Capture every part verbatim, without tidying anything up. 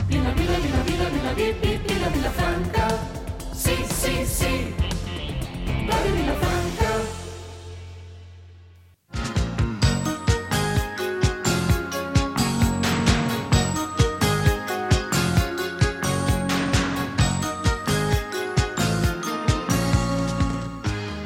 Vila, vila, vila, vila, vila, vila, vila, Vilafranca. Sí, sí, sí. Ràdio Vilafranca.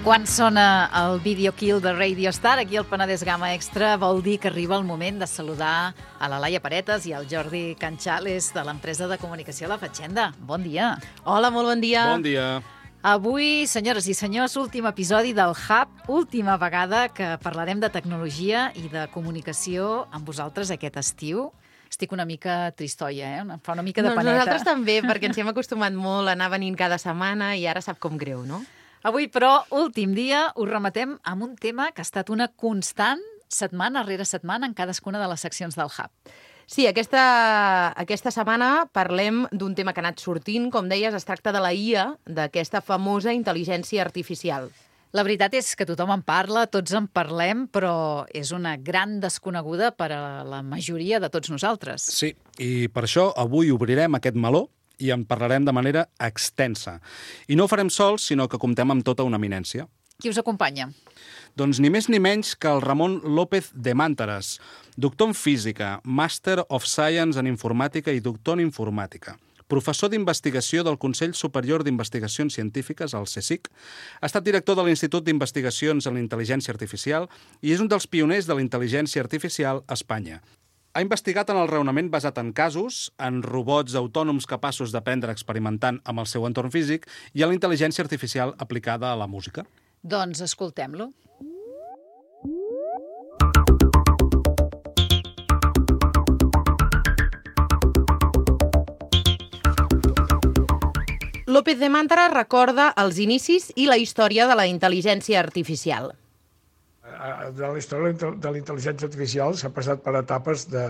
Quan sona el Video Kill de Radio Star, aquí al Penedès Gamma Extra, vol dir que arriba el moment de saludar a la Laia Paretes i al Jordi Canchales de l'empresa de comunicació La Fatxenda. Bon dia. Hola, molt bon dia. Bon dia. Avui, senyores i senyors, últim episodi del Hub, última vegada que parlarem de tecnologia i de comunicació amb vosaltres aquest estiu. Estic una mica tristoia, eh? Em fa una mica de no, paneta. Nosaltres també, perquè ens hi hem acostumat molt a anar venint cada setmana i ara sap com greu, no? Avui, però, últim dia, us remetem amb un tema que ha estat una constant setmana rere setmana en cadascuna de les seccions del Hub. Sí, aquesta, aquesta setmana parlem d'un tema que ha anat sortint. Com deies, es tracta de la I A, d'aquesta famosa intel·ligència artificial. La veritat és que tothom en parla, tots en parlem, però és una gran desconeguda per a la majoria de tots nosaltres. Sí, i per això avui obrirem aquest meló i en parlarem de manera extensa. I no ho farem sols, sinó que comptem amb tota una eminència. Qui us acompanya? Doncs ni més ni menys que el Ramon López de Màntares, doctor en física, Master of Science en informàtica i doctor en informàtica, professor d'investigació del Consell Superior d'Investigacions Científiques, el CSIC, ha estat director de l'Institut d'Investigacions en la Intel·ligència Artificial i és un dels pioners de la intel·ligència artificial a Espanya. Ha investigat en el raonament basat en casos, en robots autònoms capaços d'aprendre experimentant amb el seu entorn físic i en la intel·ligència artificial aplicada a la música. Doncs escoltem-lo. López de Màntares recorda els inicis i la història de la intel·ligència artificial. De la història de la intel·ligència artificial s'ha passat per etapes de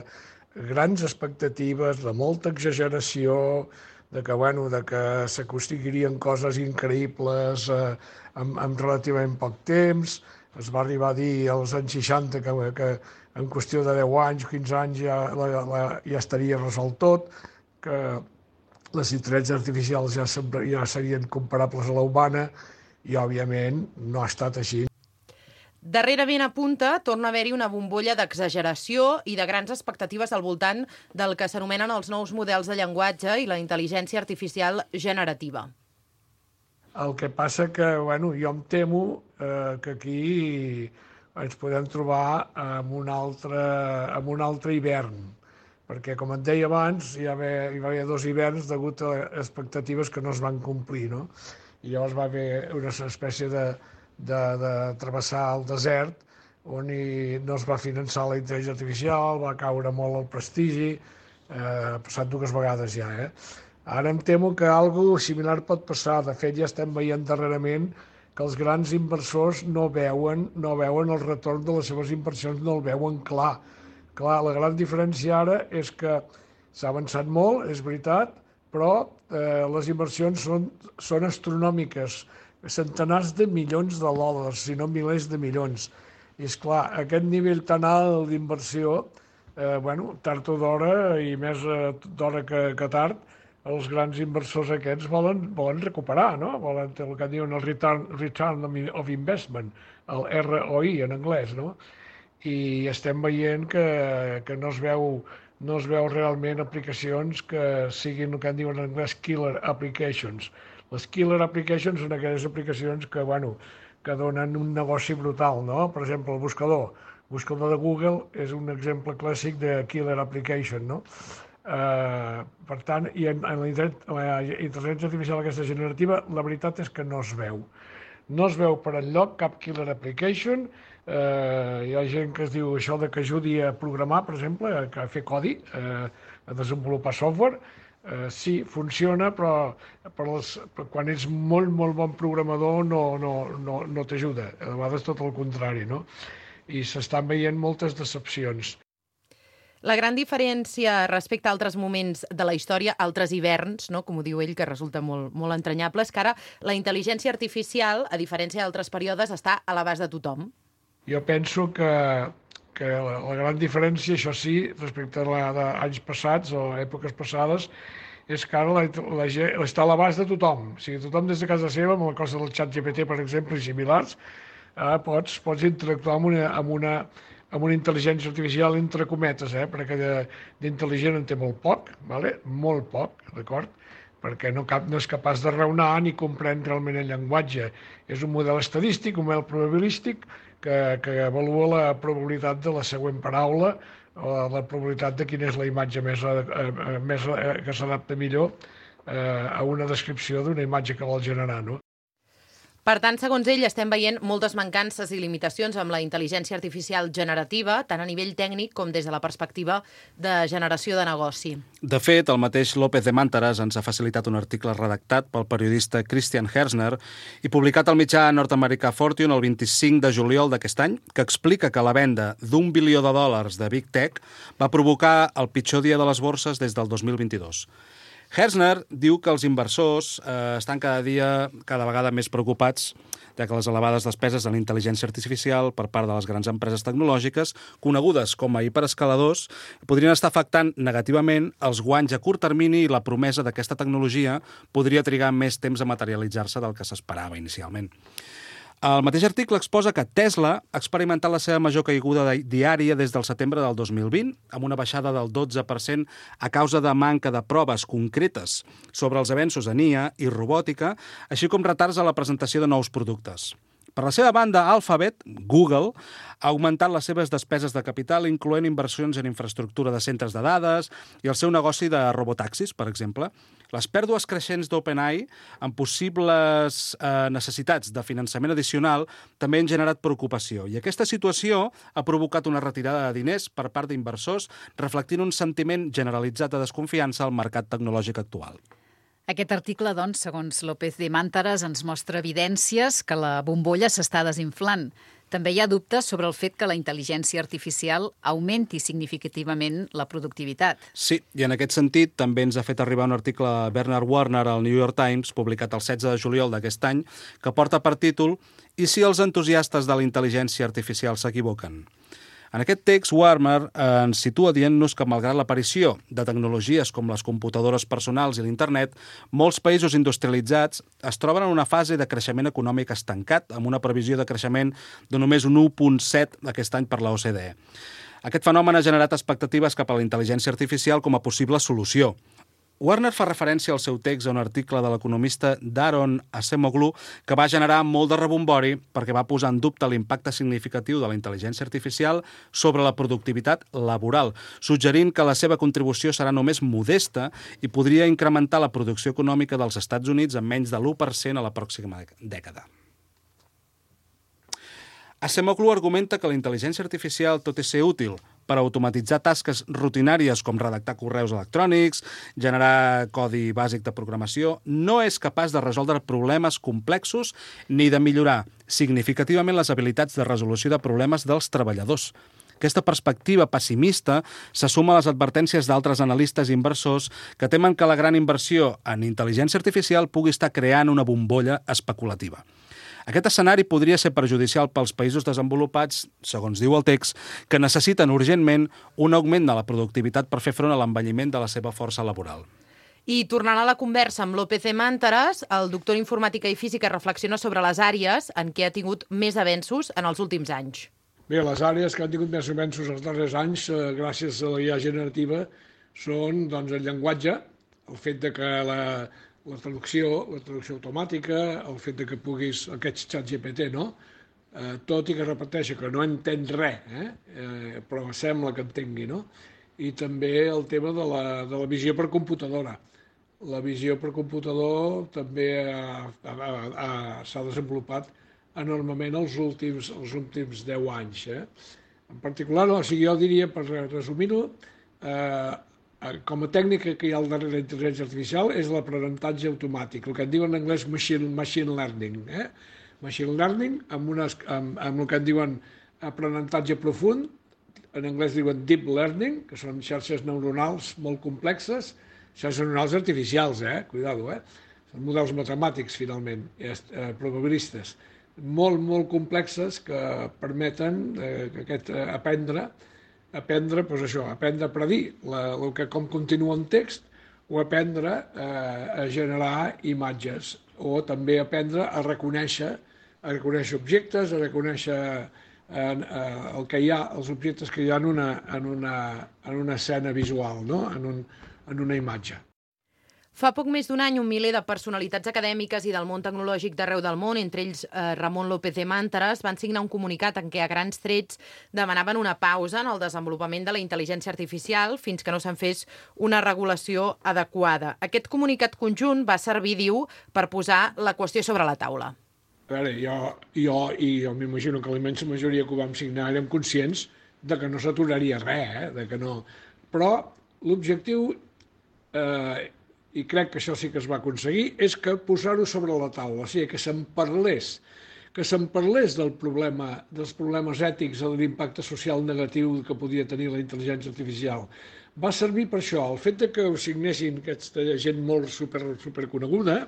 grans expectatives, de molta exageració, de que, bueno, de que s'aconseguirien coses increïbles eh, en, en relativament poc temps. Es va arribar a dir als anys seixanta que, que en qüestió de deu anys, quinze anys ja, la, la, ja estaria resolt tot, que les intel·ligències artificials ja, ja serien comparables a la humana i, òbviament, no ha estat així. Darrerament apunta, torna a haver-hi una bombolla d'exageració i de grans expectatives al voltant del que s'anomenen els nous models de llenguatge i la intel·ligència artificial generativa. El que passa que, bueno, jo em temo eh, que aquí ens podem trobar amb un altre, amb un altre hivern, perquè, com et deia abans, hi, va haver, hi va haver dos hiverns degut a expectatives que no es van complir, no? I llavors va haver una espècie de de, de travessar el desert, on hi, no es va finançar la intel·ligència artificial, va caure molt el prestigi, eh, ha passat dues vegades ja. Eh? Ara em temo que alguna similar pot passar. De fet, ja estem veient darrerament que els grans inversors no veuen, no veuen el retorn de les seves inversions, no el veuen clar. Clar, la gran diferència ara és que s'ha avançat molt, és veritat, però eh, les inversions són, són astronòmiques, centenars de milions de dòlars, si no milers de milions. I, esclar, aquest nivell tan alt d'inversió, eh, bueno, tard o d'hora, i més eh, d'hora que, que tard, els grans inversors aquests volen, volen recuperar, no? Volen el que diuen el return, return of investment, el R O I en anglès, no? I estem veient que, que no es veu, no es veu realment aplicacions que siguin el que en diuen en anglès killer applications. Les killer applications són aquelles aplicacions que, bueno, que donen un negoci brutal, no? Per exemple, el buscador. El buscador de Google és un exemple clàssic de killer application, no? Uh, per tant, i en, en la, la intel·ligència artificial aquesta generativa, la veritat és que no es veu. No es veu per enlloc cap killer application. Uh, hi ha gent que es diu això de que ajudi a programar, per exemple, a fer codi, uh, a desenvolupar software. Uh, sí, funciona, però, però, les, però quan ets molt, molt bon programador no, no, no, no t'ajuda. A vegades tot el contrari, no? I s'estan veient moltes decepcions. La gran diferència respecte a altres moments de la història, altres hiverns, no, com ho diu ell, que resulta molt, molt entranyable, és que ara la intel·ligència artificial, a diferència d'altres períodes, està a l'abast de tothom. Jo penso que, que la, la gran diferència, això sí, respecte a, la, a anys passats o èpoques passades, és que ara la, la, està a l'abast de tothom. O sigui, tothom des de casa seva, amb la cosa del xat G P T, per exemple, i similars, eh, pots, pots interactuar amb una, amb, una, amb una intel·ligència artificial entre cometes, eh, perquè d'intel·ligent en té molt poc, vale? Molt poc, d'acord? Perquè no, cap, no és capaç de raonar ni comprendre realment el llenguatge. És un model estadístic, un model probabilístic, que, que avalua la probabilitat de la següent paraula o la probabilitat de quina és la imatge més, eh, més eh, que s'adapta millor eh, a una descripció d'una imatge que vol generar, no? Per tant, segons ell, estem veient moltes mancances i limitacions amb la intel·ligència artificial generativa, tant a nivell tècnic com des de la perspectiva de generació de negoci. De fet, el mateix López de Mántaras ens ha facilitat un article redactat pel periodista Christian Herzner i publicat al mitjà nord-americà Fortune el vint-i-cinc de juliol d'aquest any, que explica que la venda d'un bilió de dòlars de Big Tech va provocar el pitjor dia de les borses des del dos mil vint-i-dos. Herzner diu que els inversors eh, estan cada dia, cada vegada més preocupats de que les elevades despeses de la intel·ligència artificial per part de les grans empreses tecnològiques, conegudes com a hiperescaladors, podrien estar afectant negativament els guanys a curt termini i la promesa d'aquesta tecnologia podria trigar més temps a materialitzar-se del que s'esperava inicialment. El mateix article exposa que Tesla ha experimentat la seva major caiguda diària des del setembre del dos mil vint, amb una baixada del dotze per cent a causa de manca de proves concretes sobre els avenços en I A i robòtica, així com retards a la presentació de nous productes. Per la seva banda, Alphabet, Google, ha augmentat les seves despeses de capital, incloent inversions en infraestructura de centres de dades i el seu negoci de robotaxis, per exemple. Les pèrdues creixents d'OpenAI, amb possibles eh, necessitats de finançament addicional, també han generat preocupació. I aquesta situació ha provocat una retirada de diners per part d'inversors, reflectint un sentiment generalitzat de desconfiança al mercat tecnològic actual. Aquest article, doncs, segons López de Mántaras, ens mostra evidències que la bombolla s'està desinflant. També hi ha dubtes sobre el fet que la intel·ligència artificial augmenti significativament la productivitat. Sí, i en aquest sentit també ens ha fet arribar un article de Bernard Warner al New York Times, publicat el setze de juliol d'aquest any, que porta per títol «I si els entusiastes de la intel·ligència artificial s'equivoquen?». En aquest text, Warner eh, ens situa dient-nos que, malgrat l'aparició de tecnologies com les computadores personals i l'internet, molts països industrialitzats es troben en una fase de creixement econòmic estancat, amb una previsió de creixement de només un u coma set aquest any per la O C D E. Aquest fenomen ha generat expectatives cap a la intel·ligència artificial com a possible solució. Warner fa referència al seu text a un article de l'economista Daron Acemoglu que va generar molt de rebombori perquè va posar en dubte l'impacte significatiu de la intel·ligència artificial sobre la productivitat laboral, suggerint que la seva contribució serà només modesta i podria incrementar la producció econòmica dels Estats Units en menys de l'u per cent a la pròxima dècada. Acemoglu argumenta que la intel·ligència artificial, tot i ser útil per automatitzar tasques rutinàries com redactar correus electrònics, generar codi bàsic de programació, no és capaç de resoldre problemes complexos ni de millorar significativament les habilitats de resolució de problemes dels treballadors. Aquesta perspectiva pessimista se suma a les advertències d'altres analistes i inversors que temen que la gran inversió en intel·ligència artificial pugui estar creant una bombolla especulativa. Aquest escenari podria ser perjudicial pels països desenvolupats, segons diu el text, que necessiten urgentment un augment de la productivitat per fer front a l'envelliment de la seva força laboral. I tornant a la conversa amb López de Mántaras, el doctor en informàtica i física reflexiona sobre les àrees en què ha tingut més avenços en els últims anys. Bé, les àrees que han tingut més avenços els darrers anys, eh, gràcies a la I A generativa, són doncs, el llenguatge, el fet de que la, la traducció, la traducció automàtica, el fet de que puguis, aquests xats G P T, no? Eh, tot i que repeteixi que no entén res, eh? Eh, però sembla que entengui, no? I també el tema de la, de la visió per computadora. La visió per computador també s'ha desenvolupat enormement els últims, els últims deu anys. Eh? En particular, o sigui, jo diria, per resumir-ho, eh, com a tècnica que hi ha al darrere de la intel·ligència artificial és l'aprenentatge automàtic, el que en diuen en anglès machine, machine learning. Eh? Machine learning, amb, unes, amb, amb el que en diuen aprenentatge profund, en anglès diuen deep learning, que són xarxes neuronals molt complexes, xarxes neuronals artificials, eh? Cuidado, eh? Són models matemàtics, finalment, eh, probabilistes. molt, molt complexes que permeten eh, que aquest eh, aprendre, aprendre, doncs això, aprendre a predir la, el que, com continua un text, o aprendre eh, a generar imatges, o també aprendre a reconèixer, a reconèixer objectes, a reconèixer en, eh, el que hi ha, els objectes que hi ha en una, en una, en una escena visual, no? en, un, en una imatge. Fa poc més d'un any, un miler de personalitats acadèmiques i del món tecnològic d'arreu del món, entre ells eh, Ramon López de Mántaras, van signar un comunicat en què a grans trets demanaven una pausa en el desenvolupament de la intel·ligència artificial fins que no se'n fes una regulació adequada. Aquest comunicat conjunt va servir, diu, per posar la qüestió sobre la taula. A veure, jo, jo i jo m'imagino que la immensa majoria que ho vam signar érem conscients de que no s'aturaria res, eh? de que no... Però l'objectiu... Eh, i crec que això sí que es va aconseguir, és que posar-ho sobre la taula, o sigui, que se'n parlés, que se'n parlés del problema, dels problemes ètics o de l'impacte social negatiu que podia tenir la intel·ligència artificial. Va servir per això. El fet de que ho signessin aquesta gent molt super, superconeguda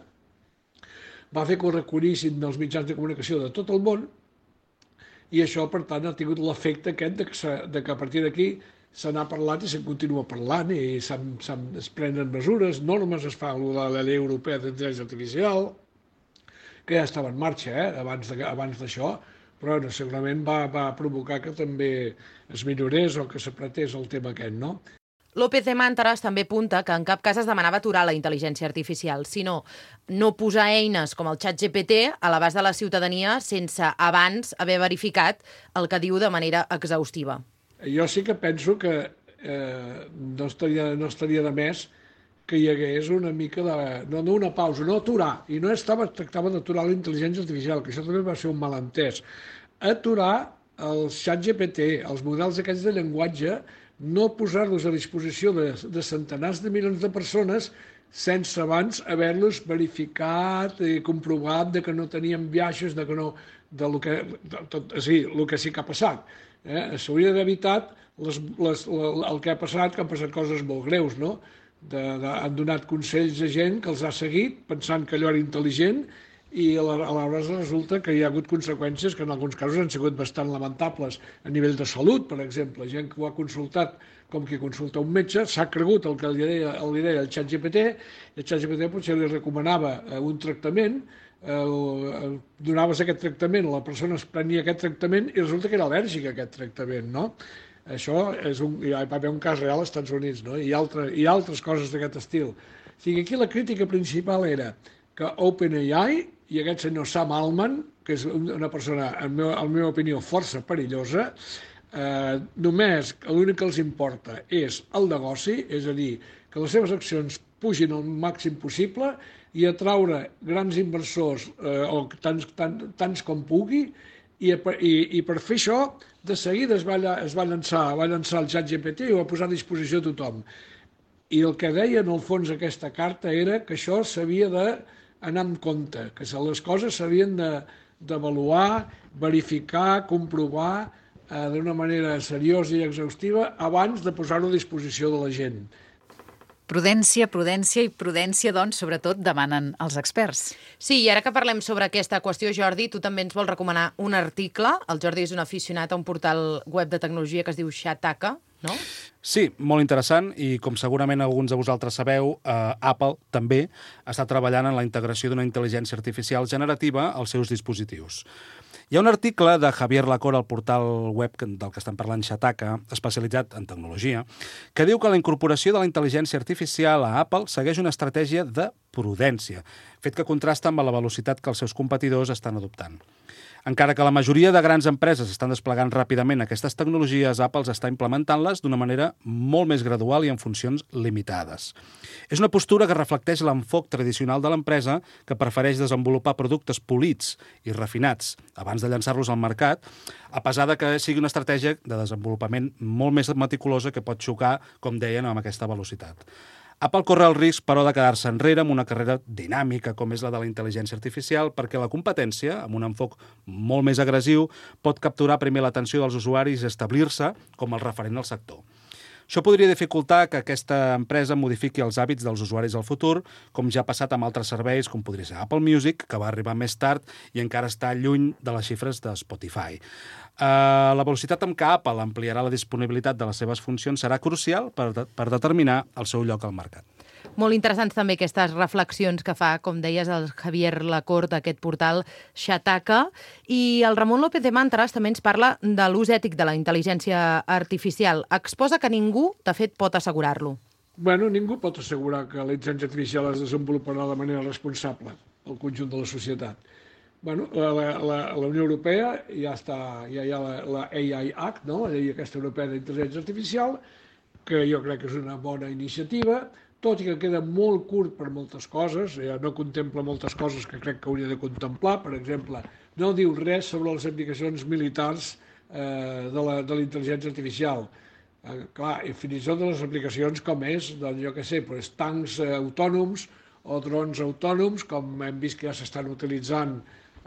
va fer que ho recollissin dels mitjans de comunicació de tot el món i això, per tant, ha tingut l'efecte aquest de que, de que a partir d'aquí se n'ha parlat i se'n continua parlant i se'n, se'n, es prenen mesures, normes, es fa la, la llei europea d'intel·ligència artificial, que ja estava en marxa eh, abans, de, abans d'això, però no, segurament va, va provocar que també es millorés o que s'apretés el tema aquest, no? López de Mántaras també apunta que en cap cas es demanava aturar la intel·ligència artificial, sinó no posar eines com el xat G P T a l'abast de la ciutadania sense abans haver verificat el que diu de manera exhaustiva. Jo sí que penso que eh, no, estaria, no estaria de més que hi hagués una mica de... No, no una pausa, no aturar. I no estava, tractava d'aturar la intel·ligència artificial, que això també va ser un malentès. Aturar el xat G P T, els models aquests de llenguatge, no posar-los a disposició de, de centenars de milions de persones sense abans haver-los verificat i comprovat de que no tenien biaixos, de que no... De lo que, de, tot, sí, el que sí que ha passat. Eh? S'hauria d'haver evitat les, les, el que ha passat, que han passat coses molt greus, no? De, de, han donat consells a gent que els ha seguit pensant que allò era intel·ligent i a l'hora resulta que hi ha hagut conseqüències que en alguns casos han sigut bastant lamentables a nivell de salut, per exemple. Gent que ho ha consultat com qui consulta un metge, s'ha cregut el que li deia, li deia el xat G P T, i el xat G P T potser li recomanava un tractament, el, el, donaves aquest tractament, la persona es prenia aquest tractament i resulta que era al·lèrgic a aquest tractament, no? Això és un, hi va haver un cas real als Estats Units, no? I, altre, i altres coses d'aquest estil. O sigui, aquí la crítica principal era que OpenAI i aquest senyor Sam Altman, que és una persona, en meu, en meva opinió, força perillosa, eh, només l'únic que els importa és el negoci, és a dir, que les seves accions pugin al màxim possible i atraure grans inversors, eh, o tants, tants, tants com pugui, i, i, i per fer això, de seguida es va, es va, llançar, va llançar el xat G P T i ho va posar a disposició a tothom. I el que deia, en el fons, aquesta carta era que això s'havia d'anar amb compte, que les coses s'havien d'avaluar, verificar, comprovar eh, d'una manera seriosa i exhaustiva abans de posar-ho a disposició de la gent. Prudència, prudència i prudència, doncs, sobretot, demanen els experts. Sí, i ara que parlem sobre aquesta qüestió, Jordi, tu també ens vols recomanar un article. El Jordi és un aficionat a un portal web de tecnologia que es diu Shataka, no? Sí, molt interessant, i com segurament alguns de vosaltres sabeu, eh, Apple també està treballant en la integració d'una intel·ligència artificial generativa als seus dispositius. Hi ha un article de Javier Lacora al portal web del que estan parlant, Shataka, especialitzat en tecnologia, que diu que la incorporació de la intel·ligència artificial a Apple segueix una estratègia de prudència, fet que contrasta amb la velocitat que els seus competidors estan adoptant. Encara que la majoria de grans empreses estan desplegant ràpidament aquestes tecnologies, Apple està implementant-les d'una manera molt més gradual i en funcions limitades. És una postura que reflecteix l'enfoc tradicional de l'empresa, que prefereix desenvolupar productes polits i refinats abans de llançar-los al mercat, a pesar de que sigui una estratègia de desenvolupament molt més meticulosa que pot xocar, com deien, amb aquesta velocitat. Apple corre el risc, però, de quedar-se enrere amb una carrera dinàmica com és la de la intel·ligència artificial, perquè la competència, amb un enfoc molt més agressiu, pot capturar primer l'atenció dels usuaris i establir-se com el referent al sector. Això podria dificultar que aquesta empresa modifiqui els hàbits dels usuaris al futur, com ja ha passat amb altres serveis, com podria ser Apple Music, que va arribar més tard i encara està lluny de les xifres de Spotify. Uh, la velocitat amb què Apple ampliarà la disponibilitat de les seves funcions serà crucial per, de per determinar el seu lloc al mercat. Molt interessants també aquestes reflexions que fa, com deies, el Javier Lacorte, aquest portal Xataca. I el Ramon López de Màntares també ens parla de l'ús ètic de la intel·ligència artificial. Exposa que ningú, de fet, pot assegurar-lo. Bueno, ningú pot assegurar que la intel·ligència artificial es desenvoluparà de manera responsable al conjunt de la societat. Bueno, la, la, la Unió Europea ja està, ja hi ha la, la A I Act, no? La llei aquesta europea d'intel·ligència artificial, que jo crec que és una bona iniciativa, tot i que queda molt curt per moltes coses, ja no contempla moltes coses que crec que hauria de contemplar. Per exemple, no diu res sobre les aplicacions militars eh, de la, de la intel·ligència artificial. Eh, clar, i fins i tot de les aplicacions com és, doncs jo què sé, doncs, tancs eh, autònoms o drons autònoms, com hem vist que ja s'estan utilitzant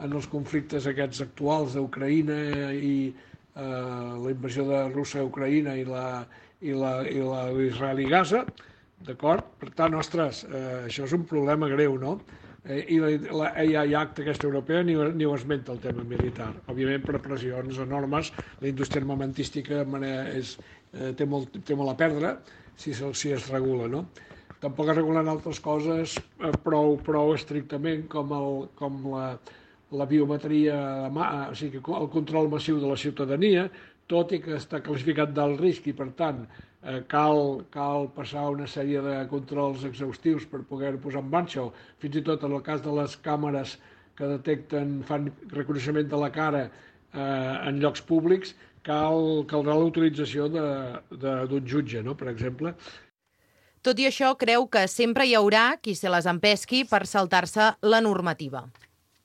en els conflictes aquests actuals d'Ucraïna i eh, la invasió de Rússia a Ucraïna i la, i la, i la Israel i Gaza. D'acord? Per tant, ostres, eh, això és un problema greu, no? Eh, I la, la A I Act aquesta europea ni, ni ho esmenta el tema militar. Òbviament, per pressions enormes, la indústria armamentística és, eh, té, molt, té molt a perdre si, si es regula, no? Tampoc es regulen altres coses eh, prou, prou estrictament com, el, com la, la biometria, o sigui, el control massiu de la ciutadania, tot i que està classificat d'alt risc i, per tant, Eh, cal, cal passar una sèrie de controls exhaustius per poder posar en marxa, o fins i tot en el cas de les càmeres que detecten, fan reconeixement de la cara eh, en llocs públics, cal, caldrà l'autorització d'un jutge, no?, per exemple. Tot i això, creu que sempre hi haurà qui se les empesqui per saltar-se la normativa.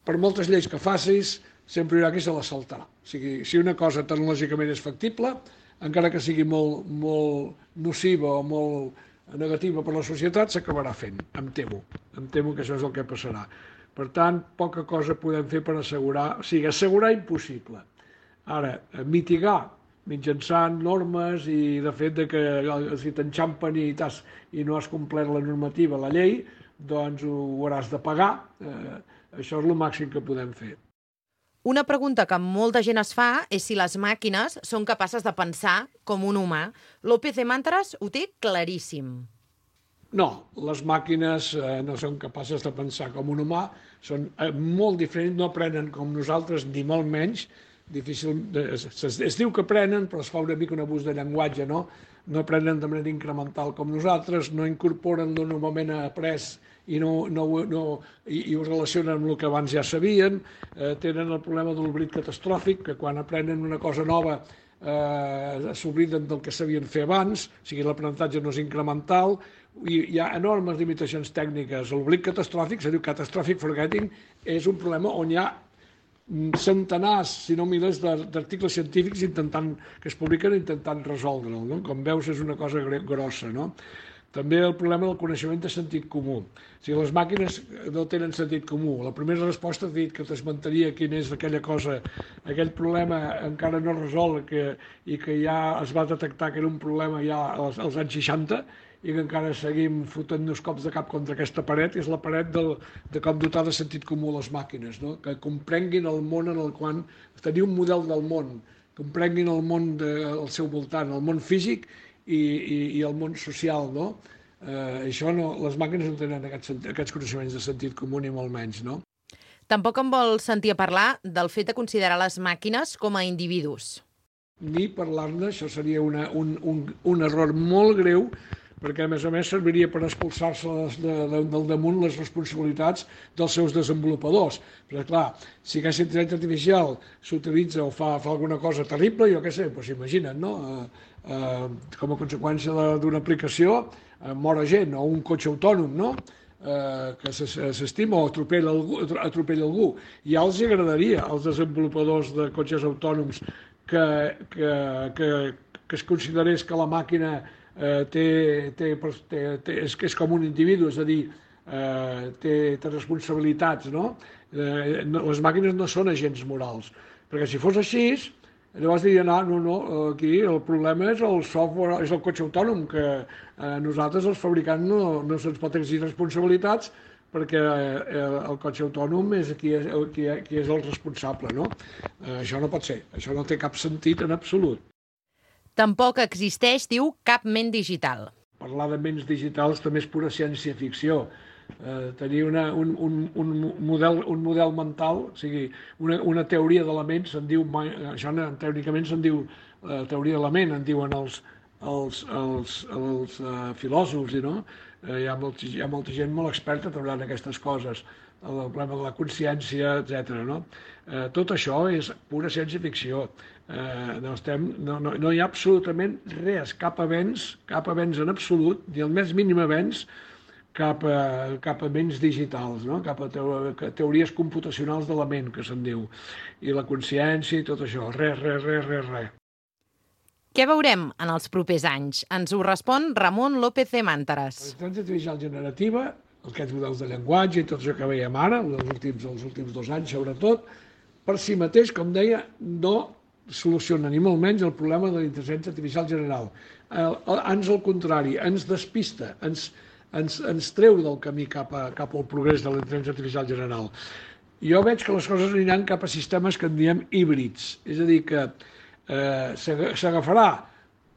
Per moltes lleis que facis, sempre hi haurà qui se les saltarà. O sigui, si una cosa tecnològicament és factible, encara que sigui molt, molt nociva o molt negativa per la societat, s'acabarà fent, em temo. Em temo que això és el que passarà. Per tant, poca cosa podem fer per assegurar, o sigui, assegurar impossible. Ara, mitigar mitjançant normes i de fet de que si t'enxampen i, i no has complert la normativa, la llei, doncs ho hauràs de pagar. Eh, això és el màxim que podem fer. Una pregunta que molta gent es fa és si les màquines són capaces de pensar com un humà. López de Màntares ho té claríssim. No, les màquines eh, no són capaces de pensar com un humà, són eh, molt diferents, no aprenen com nosaltres, ni molt menys. Difícil, es, es, es diu que aprenen, però es fa una mica un abús de llenguatge, no? No aprenen de manera incremental com nosaltres, no incorporen el normalment après i, no, no, no, i, i ho relacionen amb el que abans ja sabien, eh, tenen el problema de l'oblit catastròfic, que quan aprenen una cosa nova eh, s'obliden del que sabien fer abans, o sigui, l'aprenentatge no és incremental, i hi ha enormes limitacions tècniques. L'oblit catastròfic, se diu catastrophic forgetting, és un problema on hi ha centenars, si no milers d'articles científics intentant, que es publiquen intentant resoldre'l, no? Com veus, és una cosa grossa, no? També el problema del coneixement de sentit comú. O sigui, les màquines no tenen sentit comú. La primera resposta ha dit que t'esmentaria quina és aquella cosa, aquell problema encara no resolt que, i que ja es va detectar que era un problema ja als, als anys seixanta i que encara seguim fotent-nos cops de cap contra aquesta paret, és la paret del, de com dotar de sentit comú les màquines, no? Que comprenguin el món en el qual tenir un model del món, comprenguin el món de, al seu voltant, el món físic i, i, i el món social, no? Eh, això no, les màquines no tenen aquests, aquests coneixements de sentit comú ni molt menys, no? Tampoc em vol sentir a parlar del fet de considerar les màquines com a individus. Ni parlar-ne, això seria una, un, un, un error molt greu, perquè a més a més serviria per expulsar-se de, de, del damunt les responsabilitats dels seus desenvolupadors. Però clar, si aquesta intel·ligència artificial s'utilitza o fa, fa alguna cosa terrible, jo què sé, doncs imagina't, no? Eh, eh, com a conseqüència d'una aplicació eh, mor gent, o un cotxe autònom, no? Eh, que s'estima o atropella algú, atropella algú. Ja els agradaria als desenvolupadors de cotxes autònoms que, que, que, que es considerés que la màquina Eh, té, té, té, té, és, és com un individu, és a dir, eh, té, té responsabilitats, no? Eh, no? Les màquines no són agents morals, perquè si fos així, Llavors dirien, ah, no, no, aquí el problema és el software, és el cotxe autònom, que eh, nosaltres, els fabricants, no, no se'ns pot exigir responsabilitats perquè eh, el cotxe autònom és qui és, qui, qui és el responsable, no? Eh, això no pot ser, això no té cap sentit en absolut. Tampoc existeix, diu, cap ment digital. Parlar de ments digitals també és pura ciència-ficció. Eh, tenir una, un, un, un, model, un model mental, o sigui, una, una teoria de la ment, se'n diu, això teòricament se'n diu eh, teoria de la ment, en diuen els, els, els, els uh, filòsofs, no? Eh, hi, ha molt, hi ha molta gent molt experta treballant aquestes coses, el problema de la consciència, etcètera. No? Eh, tot això és pura ciència-ficció. Eh, no, estem, no, no, no hi ha absolutament res, cap avenç, cap avenç en absolut, ni el més mínim avenç, cap a, cap a ments digitals, no? Cap a teories computacionals de la ment, que se'n diu, i la consciència i tot això, res, res, res, res, res. Què veurem en els propers anys? Ens ho respon Ramon López de Màntares. La intel·ligència artificial generativa, aquests models de llenguatge i tot això que veiem ara, els últims, els últims dos anys sobretot, per si mateix, com deia, no soluciona ni molt menys el problema de la intel·ligència artificial general. Ans al contrari, ens despista, ens Ens, ens treu del camí cap, a, cap al progrés de la intel·ligència artificial general. Jo veig que les coses aniran cap a sistemes que en diem híbrids, és a dir, que eh, s'agafarà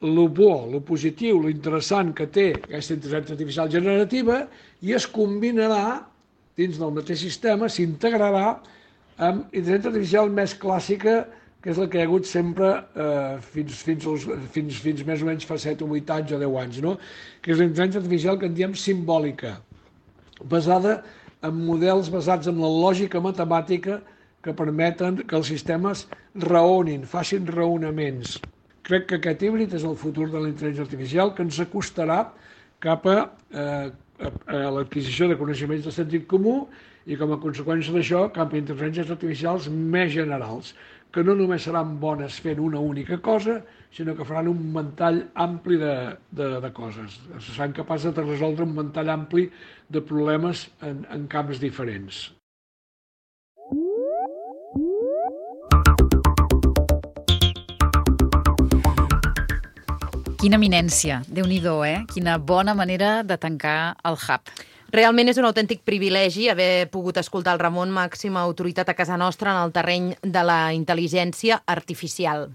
el bo, el positiu, lo interessant que té aquesta intel·ligència artificial generativa i es combinarà dins del mateix sistema, s'integrarà amb intel·ligència artificial més clàssica, que és la que hi ha hagut sempre eh, fins, fins, als, fins, fins més o menys fa set o vuit anys o deu anys, no? Que és la intel·ligència artificial que en diem simbòlica, basada en models basats en la lògica matemàtica que permeten que els sistemes raonin, facin raonaments. Crec que aquest híbrid és el futur de la intel·ligència artificial, que ens acostarà cap a, eh, a, a l'adquisició de coneixements de sentit comú i, com a conseqüència d'això, cap a intel·ligències artificials més generals, que no només seran bones fent una única cosa, sinó que faran un ventall ampli de, de, de coses. Seran capaces de resoldre un ventall ampli de problemes en, en camps diferents. Quina eminència, Déu-n'hi-do, eh? Quina bona manera de tancar el Hub. Realment és un autèntic privilegi haver pogut escoltar el Ramon, màxima autoritat a casa nostra en el terreny de la intel·ligència artificial.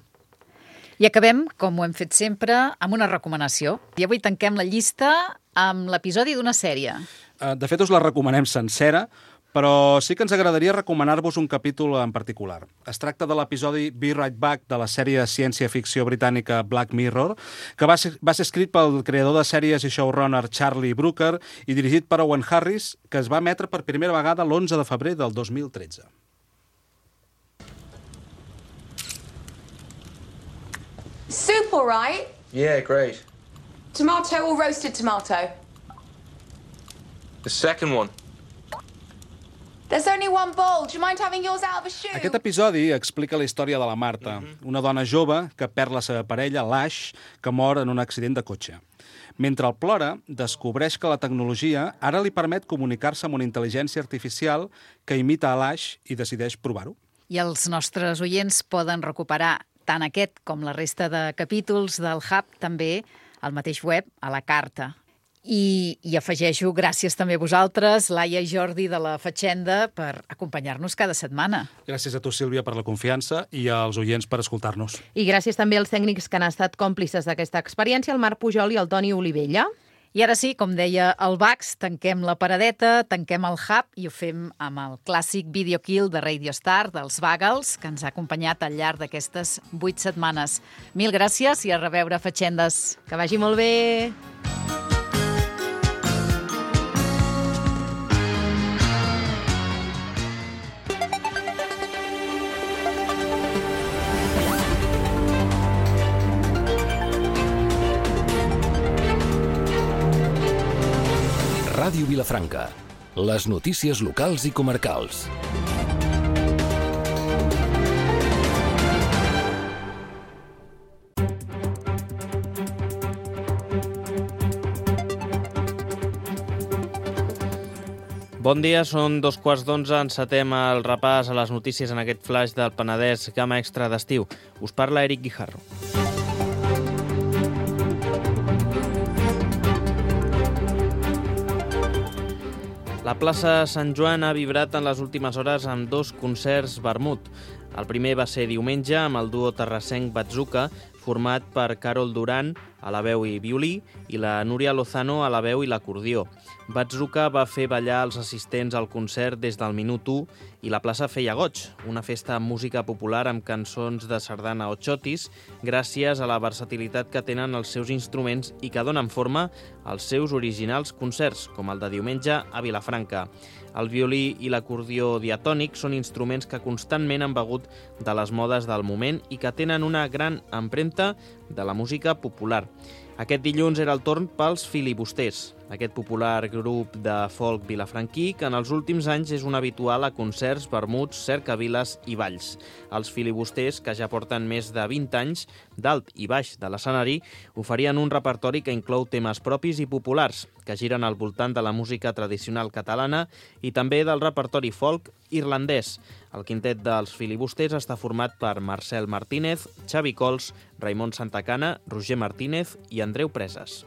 I acabem, com ho hem fet sempre, amb una recomanació. I avui tanquem la llista amb l'episodi d'una sèrie. De fet, us la recomanem sencera, però sí que ens agradaria recomanar-vos un capítol en particular. Es tracta de l'episodi Be Right Back de la sèrie de ciència-ficció britànica Black Mirror, que va ser, va ser escrit pel creador de sèries i showrunner Charlie Brooker i dirigit per Owen Harris, que es va emetre per primera vegada l'onze de febrer del dos mil tretze. Soup all right? Yeah, great. Tomato or roasted tomato? The second one. There's only one bowl. Do you mind having yours out of a shoe? Aquest episodi explica la història de la Marta, una dona jove que perd la seva parella, l'Ash, que mor en un accident de cotxe. Mentre el plora, descobreix que la tecnologia ara li permet comunicar-se amb una intel·ligència artificial que imita a l'Ash i decideix provar-ho. I els nostres oients poden recuperar tant aquest com la resta de capítols del Hub també al mateix web, a la carta. I, i afegeixo gràcies també a vosaltres, Laia i Jordi de la Fatxenda, per acompanyar-nos cada setmana. Gràcies a tu, Sílvia, per la confiança i als oients per escoltar-nos. I gràcies també als tècnics que han estat còmplices d'aquesta experiència, el Marc Pujol i el Toni Olivella. I ara sí, com deia el Bax, tanquem la paradeta, tanquem el Hub i ho fem amb el clàssic Video Kill de Radio Star, dels Bagels, que ens ha acompanyat al llarg d'aquestes vuit setmanes. Mil gràcies i a reveure, Fatxendes. Que vagi molt bé! Ràdio Vilafranca. Les notícies locals i comarcals. Bon dia, són dos quarts d'onze, encetem el repàs a les notícies en aquest flash del Penedès Gamma Extra d'estiu. Us parla Eric Guijarro. La plaça Sant Joan ha vibrat en les últimes hores amb dos concerts vermut. El primer va ser diumenge amb el duo terrassenc Bazooka, format per Carol Duran a la veu i violí i la Núria Lozano a la veu i l'acordió. Bazooka va fer ballar els assistents al concert des del minut u i la plaça feia goig, una festa amb música popular amb cançons de sardana o xotis, gràcies a la versatilitat que tenen els seus instruments i que donen forma als seus originals concerts, com el de diumenge a Vilafranca. El violí i l'acordió diatònic són instruments que constantment han begut de les modes del moment i que tenen una gran empremta de la música popular. Aquest dilluns era el torn pels Filibusters, aquest popular grup de folk vilafranquí que en els últims anys és un habitual a concerts, vermuts, cercaviles i balls. Els Filibusters, que ja porten més de vint anys dalt i baix de l'escenari, oferien un repertori que inclou temes propis i populars, que giren al voltant de la música tradicional catalana i també del repertori folk irlandès. El quintet dels Filibusters està format per Marcel Martínez, Xavi Cols, Raimon Santacana, Roger Martínez i Andreu Preses.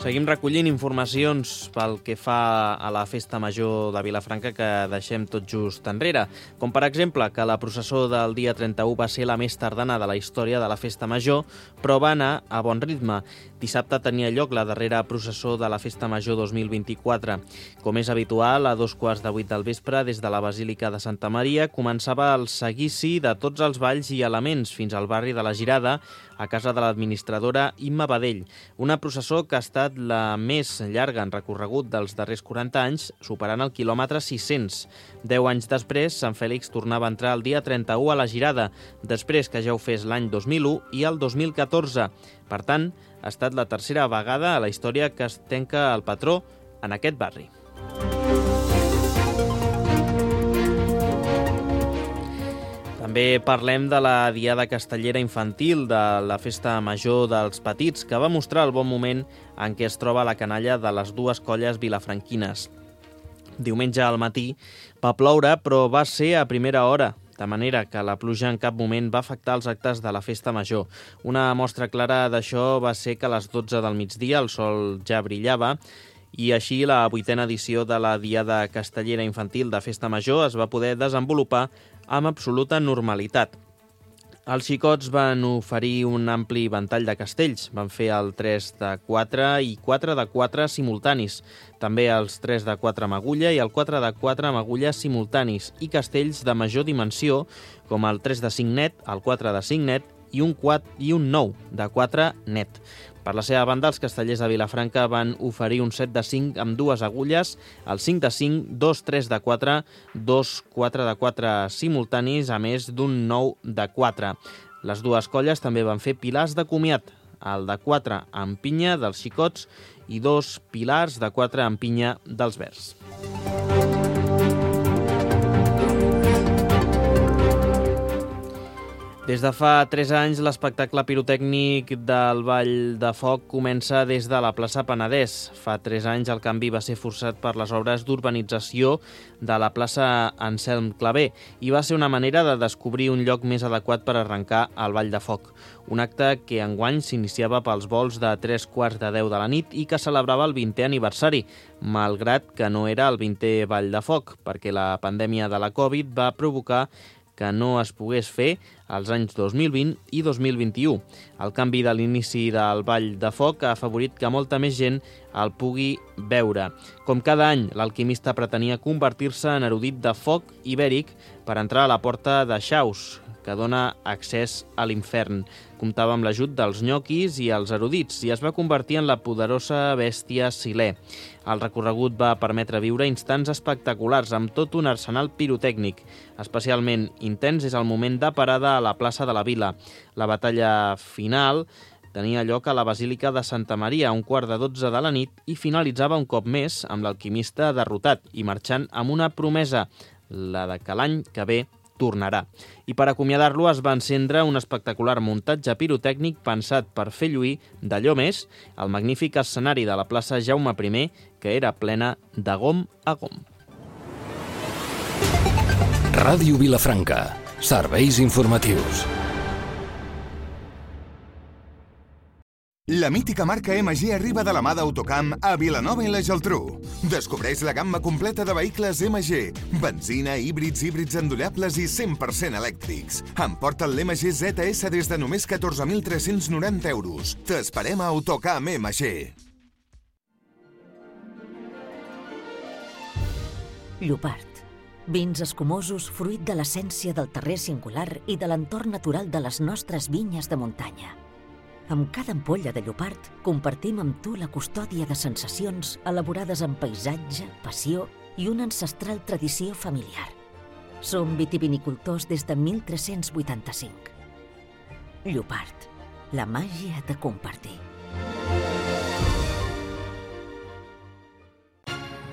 Seguim recollint informacions pel que fa a la festa major de Vilafranca que deixem tot just enrere, com per exemple que la processó del dia trenta-u va ser la més tardana de la història de la festa major, però va anar a bon ritme. Dissabte tenia lloc la darrera processó de la festa major dos mil vint-i-quatre. Com és habitual, a dos quarts de vuit del vespre, des de la Basílica de Santa Maria, començava el seguici de tots els balls i elements fins al barri de la Girada, a casa de l'administradora Imma Badell. Una processó que ha estat la més llarga en recorregut dels darrers quaranta anys, superant el quilòmetre sis-cents. Deu anys després, Sant Fèlix tornava a entrar el dia trenta-u a la Girada, després que ja ho fes l'any dos mil u i el dos mil catorze. Per tant, ha estat la tercera vegada a la història que es tanca el patró en aquest barri. També parlem de la Diada Castellera Infantil de la Festa Major dels Petits, que va mostrar el bon moment en què es troba la canalla de les dues colles vilafranquines. Diumenge al matí va ploure, però va ser a primera hora, de manera que la pluja en cap moment va afectar els actes de la Festa Major. Una mostra clara d'això va ser que a les dotze del migdia el sol ja brillava, i així la vuitena edició de la Diada Castellera Infantil de Festa Major es va poder desenvolupar amb absoluta normalitat. Els xicots van oferir un ampli ventall de castells. Van fer el tres de quatre i quatre de quatre simultanis. També els tres de quatre amb agulla i el quatre de quatre amb agulla simultanis i castells de major dimensió com el tres de cinc net, el quatre de cinc net i un, quatre, i un nou de quatre net. Per la seva banda, els castellers de Vilafranca van oferir un set de cinc amb dues agulles, el cinc de cinc, dos tres de quatre, dos quatre de quatre simultanis, a més d'un nou de quatre. Les dues colles també van fer pilars de comiat, el de quatre amb pinya dels xicots i dos pilars de quatre amb pinya dels verds. Des de fa tres anys, l'espectacle pirotècnic del Ball de Foc comença des de la plaça Penedès. Fa tres anys el canvi va ser forçat per les obres d'urbanització de la plaça Anselm Clavé i va ser una manera de descobrir un lloc més adequat per arrencar el Ball de Foc. Un acte que enguany s'iniciava pels vols de tres quarts de deu de la nit i que celebrava el vintè aniversari, malgrat que no era el vintè Ball de Foc, perquè la pandèmia de la Covid va provocar que no es pogués fer als anys dos mil vint i dos mil vint-i-u. El canvi de l'inici del Ball de Foc ha afavorit que molta més gent el pugui veure. Com cada any, l'alquimista pretenia convertir-se en erudit de foc ibèric per entrar a la porta de Xaus, que dona accés a l'infern. Comptava amb l'ajut dels nyoquis i els erudits i es va convertir en la poderosa bèstia Silè. El recorregut va permetre viure instants espectaculars amb tot un arsenal pirotècnic. Especialment intens és el moment de parada a la plaça de la Vila. La batalla final tenia lloc a la Basílica de Santa Maria a un quart de dotze de la nit i finalitzava un cop més amb l'alquimista derrotat i marxant amb una promesa, la de que l'any que ve tornarà. I per acomiadar-lo es va encendre un espectacular muntatge pirotècnic pensat per fer lluir d'allò més el magnífic escenari de la plaça Jaume I, que era plena de gom a gom. Ràdio Vilafranca. Serveis informatius. La mítica marca M G arriba de la mà d'Autocamp a Vilanova i la Geltrú. Descobreix la gamma completa de vehicles M G, benzina, híbrids, híbrids endollables i cent per cent elèctrics. Emporta't l'M G Z S des de només catorze mil tres-cents noranta euros. T'esperem a Autocamp M G. Llopart. Vins escumosos fruit de l'essència del terrer singular i de l'entorn natural de les nostres vinyes de muntanya. Amb cada ampolla de Llopart compartim amb tu la custòdia de sensacions elaborades amb paisatge, passió i una ancestral tradició familiar. Som vitivinicultors des de mil tres-cents vuitanta-cinc. Llopart, la màgia de compartir.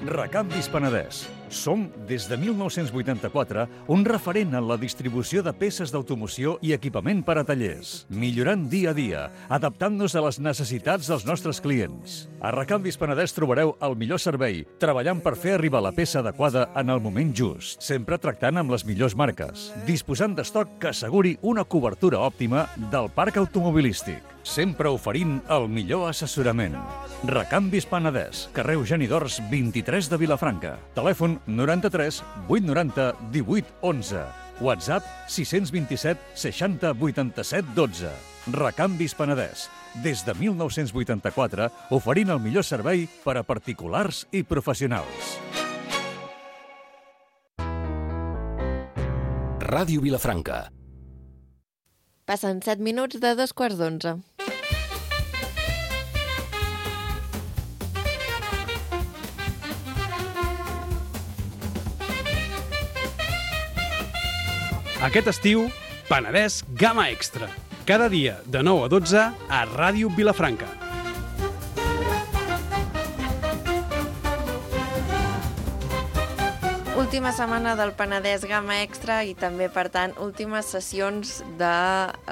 Recanvis Penedès. Som, des de mil nou-cents vuitanta-quatre, un referent en la distribució de peces d'automoció i equipament per a tallers, millorant dia a dia, adaptant-nos a les necessitats dels nostres clients. A Recanvis Penedès trobareu el millor servei, treballant per fer arribar la peça adequada en el moment just, sempre tractant amb les millors marques, disposant d'estoc que asseguri una cobertura òptima del parc automobilístic, sempre oferint el millor assessorament. Recanvis Penedès, carrer Eugeni d'Ors, vint-i-tres de Vilafranca. Telèfon noranta-tres vuit noranta divuit onze. WhatsApp sis dos set seixanta vuitanta-set dotze. Recanvis Penedès. Des de mil nou-cents vuitanta-quatre, oferint el millor servei per a particulars i professionals. Ràdio Vilafranca. Passen set minuts de dos quarts d'onze. Aquest estiu, Penedès Gamma Extra. Cada dia, de nou a dotze, a Ràdio Vilafranca. Última setmana del Penedès Gamma Extra i també, per tant, últimes sessions de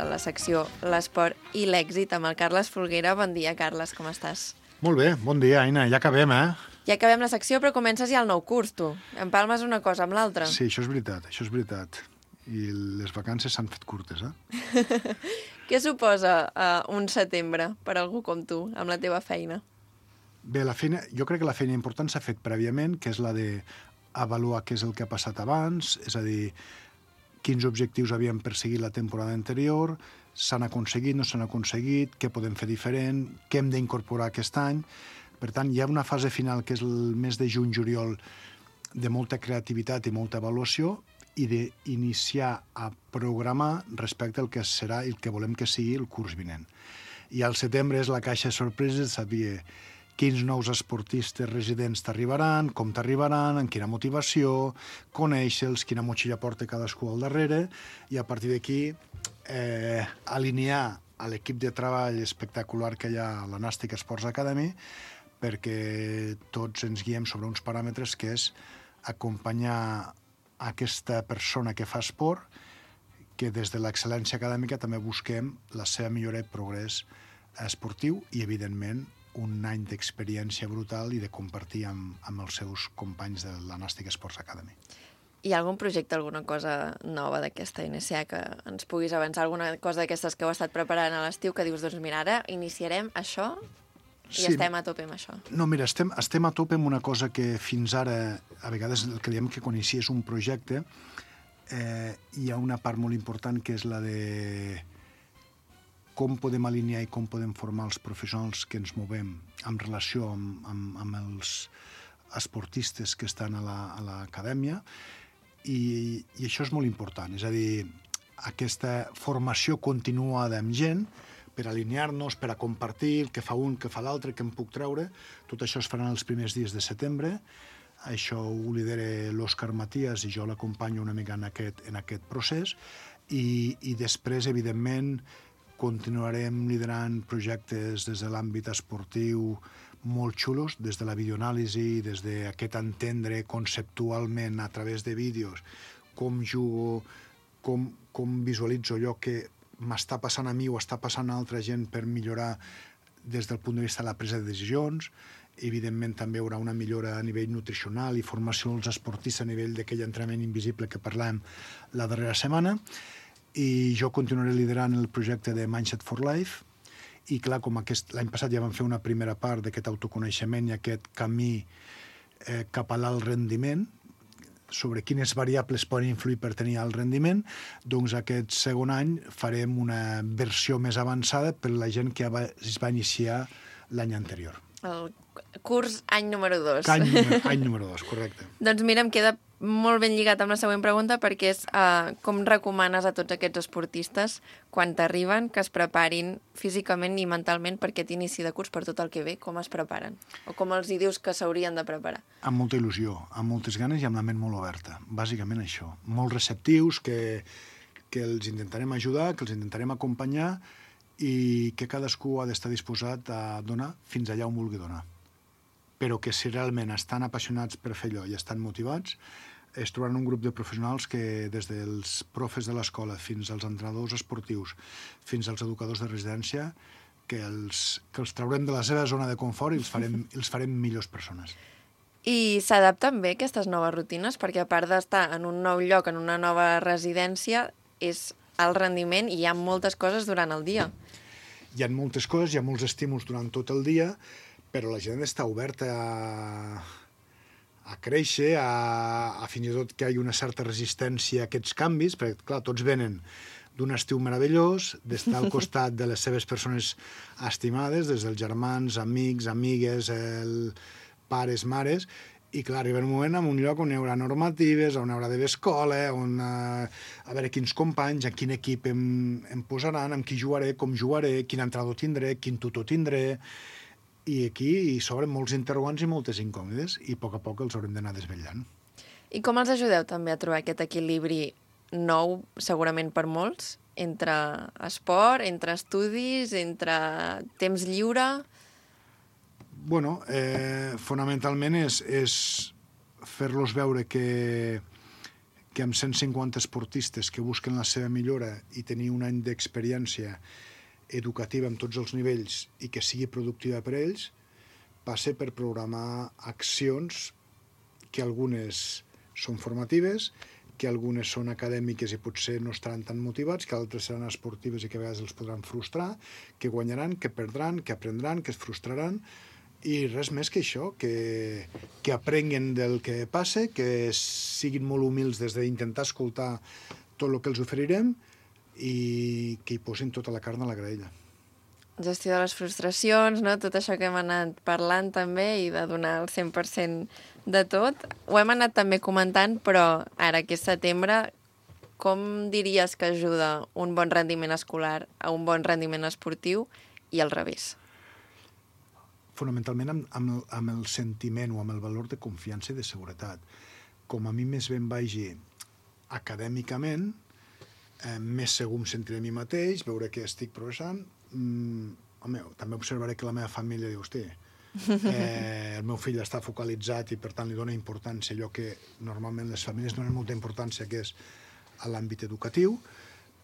la secció L'Esport i l'Èxit amb el Carles Folguera. Bon dia, Carles, com estàs? Molt bé, bon dia, Aina. Ja acabem, eh? Ja acabem la secció, però comences ja el nou curs, tu. Empalmes una cosa amb l'altra. Sí, això és veritat, això és veritat. I les vacances s'han fet curtes, eh? Què suposa uh, un setembre per algú com tu, amb la teva feina? Bé, la feina, jo crec que la feina important s'ha fet prèviament, que és la d'avaluar què és el que ha passat abans, és a dir, quins objectius havíem perseguit la temporada anterior, s'han aconseguit, no s'han aconseguit, què podem fer diferent, què hem d'incorporar aquest any. Per tant, hi ha una fase final, que és el mes de juny-juliol, de molta creativitat i molta avaluació, i d'iniciar a programar respecte al que serà i el que volem que sigui el curs vinent. I al setembre és la caixa de sorpreses, saber quins nous esportistes residents t'arribaran, com t'arribaran, amb quina motivació, conèixer-los, quina motxilla porta cadascú al darrere, i a partir d'aquí eh, alinear a l'equip de treball espectacular que hi ha a la Nàstic Sports Academy, perquè tots ens guiem sobre uns paràmetres, que és acompanyar aquesta persona que fa esport, que des de l'excel·lència acadèmica també busquem la seva millora i progrés esportiu i, evidentment, un any d'experiència brutal i de compartir amb, amb els seus companys de la Nàstic Sports Academy. Hi ha algun projecte, alguna cosa nova d'aquesta N S A que ens puguis avançar, alguna cosa d'aquestes que heu estat preparant a l'estiu que dius, doncs mira, ara iniciarem això i sí, estem a tope amb això? No, mira, estem, estem a tope amb una cosa que fins ara, a vegades el que diem que quan inicies un projecte, eh, hi ha una part molt important que és la de com podem alinear i com podem formar els professionals que ens movem en relació amb, amb, amb els esportistes que estan a l'acadèmia, i, i això és molt important. És a dir, aquesta formació continuada amb gent, per alinear-nos, per a compartir el que fa un, que fa l'altre, que em puc treure. Tot això es farà els primers dies de setembre. Això ho lidera l'Òscar Matías i jo l'acompanyo una mica en aquest, en aquest procés. I, i després, evidentment, continuarem liderant projectes des de l'àmbit esportiu molt xulos, des de la videoanàlisi, des d'aquest entendre conceptualment a través de vídeos com jugo, com, com visualitzo allò que m'està passant a mi o està passant a altra gent per millorar des del punt de vista de la presa de decisions. Evidentment, també hi haurà una millora a nivell nutricional i formació als esportistes a nivell d'aquell entrenament invisible que parlàvem la darrera setmana. I jo continuaré liderant el projecte de Mindset for Life. I, clar, com aquest, l'any passat ja vam fer una primera part d'aquest autoconeixement i aquest camí eh, cap a l'alt rendiment, sobre quines variables poden influir per tenir alt rendiment, doncs aquest segon any farem una versió més avançada per la gent que es va iniciar l'any anterior. El curs any número dos. Any, any número dos, correcte. Doncs mira, em queda molt ben lligat amb la següent pregunta, perquè és uh, com recomanes a tots aquests esportistes, quan t'arriben, que es preparin físicament i mentalment per aquest inici de curs, per tot el que ve, com es preparen? O com els hi dius que s'haurien de preparar? Amb molta il·lusió, amb moltes ganes i amb la ment molt oberta. Bàsicament això. Molt receptius, que, que els intentarem ajudar, que els intentarem acompanyar i que cadascú ha d'estar disposat a donar fins allà on vulgui donar. Però que si realment estan apassionats per fer allò i estan motivats, es trobaran un grup de professionals que des dels profes de l'escola fins als entrenadors esportius, fins als educadors de residència, que els, que els traurem de la seva zona de confort i els farem, els farem millors persones. I s'adapten bé aquestes noves rutines? Perquè a part d'estar en un nou lloc, en una nova residència, és el rendiment i hi ha moltes coses durant el dia. Hi ha moltes coses, hi ha molts estímuls durant tot el dia, però la gent està oberta a, a créixer, a, a fins i tot que hi hagi una certa resistència a aquests canvis, perquè, clar, tots venen d'un estiu meravellós, d'estar al costat de les seves persones estimades, des dels germans, amics, amigues, el, pares, mares, i clar, arriba un moment en un lloc on hi haurà normatives, on hi haurà d'haver escola, on, a, a veure quins companys, a quin equip em, em posaran, amb qui jugaré, com jugaré, quin entrenador tindré, quin tutor tindré. I aquí s'obren molts interrogants i moltes incòmodes i a poc a poc els haurem d'anar desvetllant. I com els ajudeu també a trobar aquest equilibri nou, segurament per molts, entre esport, entre estudis, entre temps lliure? Bueno, eh, fonamentalment és, és fer-los veure que, que amb cent cinquanta esportistes que busquen la seva millora i tenir un any d'experiència educativa en tots els nivells i que sigui productiva per a ells, passa per programar accions que algunes són formatives, que algunes són acadèmiques i potser no estaran tan motivats, que altres seran esportives i que a vegades els podran frustrar, que guanyaran, que perdran, que aprendran, que es frustraran, i res més que això, que, que aprenguen del que passa, que siguin molt humils des d'intentar escoltar tot el que els oferirem i que hi posin tota la carn a la graella. Gestió de les frustracions, no? Tot això que hem anat parlant també i de donar el cent per cent de tot. Ho hem anat també comentant, però ara que és setembre, com diries que ajuda un bon rendiment escolar a un bon rendiment esportiu i al revés? Fonamentalment amb, amb, el, amb el sentiment o amb el valor de confiança i de seguretat. Com a mi més ben vagi acadèmicament, Eh, més segur em sentiré a mi mateix, veure que estic progressant. Mm, home, també observaré que la meva família diu, hosti, eh, el meu fill està focalitzat i per tant li dona importància allò que normalment les famílies donen molta importància, que és a l'àmbit educatiu.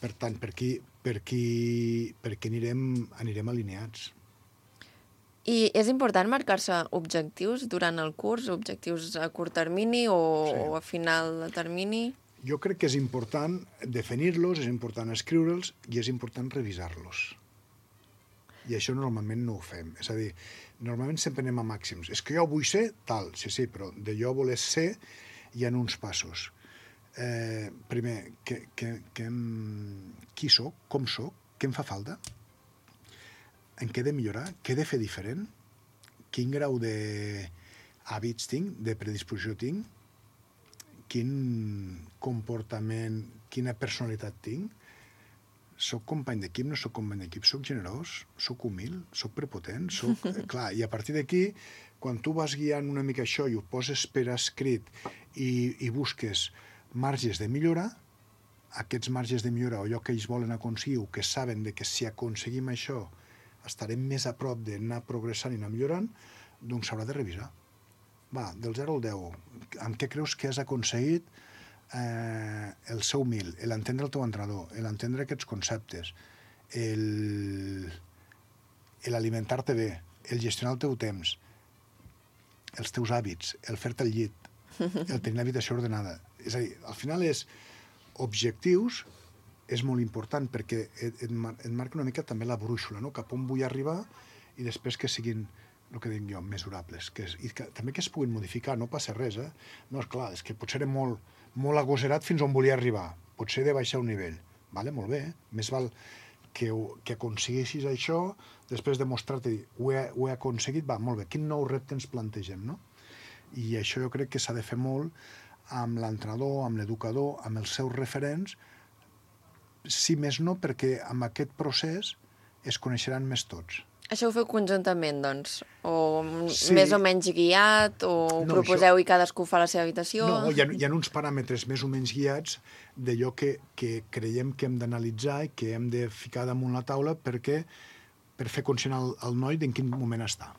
Per tant, per aquí, per aquí, per aquí anirem, anirem alineats. I és important marcar-se objectius durant el curs, objectius a curt termini o, sí. o a final de termini? Jo crec que és important definir-los, és important escriure'ls i és important revisar-los. I això normalment no ho fem. És a dir, normalment sempre anem a màxims. És que jo vull ser tal, sí, sí, però de jo voler ser hi ha uns passos. Eh, primer, que, que, que, qui soc, com soc, què em fa falta, en què he de millorar, què he de fer diferent, quin grau d'hàbits tinc, de predisposició tinc, quin comportament, quina personalitat tinc, soc company d'equip, no soc company d'equip, soc generós, soc humil, soc prepotent, soc... Clar, i a partir d'aquí, quan tu vas guiant una mica això i ho poses per escrit i, i busques marges de millora, aquests marges de millora o allò que ells volen aconseguir o que saben de que si aconseguim això estarem més a prop d'anar progressant i anar millorant, doncs s'haurà de revisar. Va, del zero al deu, amb què creus que has aconseguit eh, el seu mil, l'entendre el teu entrenador, l'entendre aquests conceptes, l'alimentar-te bé, el gestionar el teu temps, els teus hàbits, el fer-te al llit, el tenir l'habitació ordenada. És a dir, al final és objectius, és molt important perquè et, et, mar et marca una mica també la brúixola, no? Cap on vull arribar i després que siguin, el que dic jo, mesurables. Que és, i que, també que es puguin modificar, no passa res, eh? No, és clar, és que potser era molt, molt agosserat fins on volia arribar. Potser he de baixar un nivell. Vale, molt bé, eh? Més val que, que aconsegueixis això, després de mostrar-te, ho, he, ho he aconseguit, va, molt bé, quin nou repte ens plantegem, no? I això jo crec que s'ha de fer molt amb l'entrenador, amb l'educador, amb els seus referents, si més no, perquè amb aquest procés es coneixeran més tots. Això ho feu conjuntament, doncs? O sí. Més o menys guiat? O ho no, proposeu això... i cadascú fa la seva habitació? No, hi ha, hi ha uns paràmetres més o menys guiats d'allò que, que creiem que hem d'analitzar i que hem de ficar damunt la taula perquè, per fer conscient al, al noi d'en quin moment està.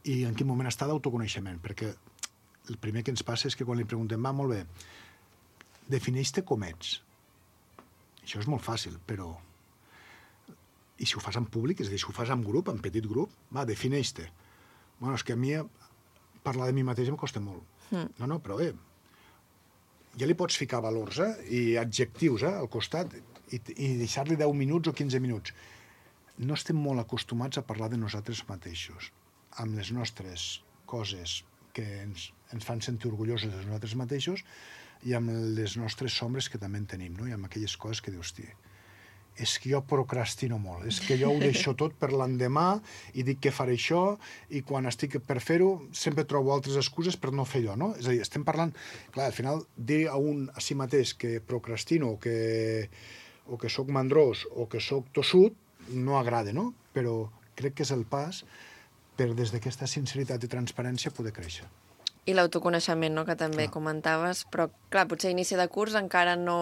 I en quin moment està d'autoconeixement. Perquè el primer que ens passa és que quan li preguntem, va, molt bé, defineix-te com ets. Això és molt fàcil, però... I si ho fas en públic, és a dir, si ho fas en grup, en petit grup, va, defineix-te. Bueno, és que a mi parlar de mi mateix em costa molt. Mm. No, no, però bé, ja li pots ficar valors, eh? I adjectius, eh? Al costat, i, i deixar-li deu minuts o quinze minuts. No estem molt acostumats a parlar de nosaltres mateixos, amb les nostres coses que ens, ens fan sentir orgullosos de nosaltres mateixos i amb les nostres sombres que també en tenim, no? I amb aquelles coses que dius, tia, és que jo procrastino molt, és que jo ho deixo tot per l'endemà i dic que faré això i quan estic per fer-ho sempre trobo altres excuses per no fer allò, no? És a dir, estem parlant... Clar, al final, dir a un a si mateix que procrastino o que, o que soc mandrós o que soc tossut no agrada, no? Però crec que és el pas per des d'aquesta sinceritat i transparència poder créixer. I l'autoconeixement, no?, que també clar. Comentaves, però clar, potser a inici de curs encara no...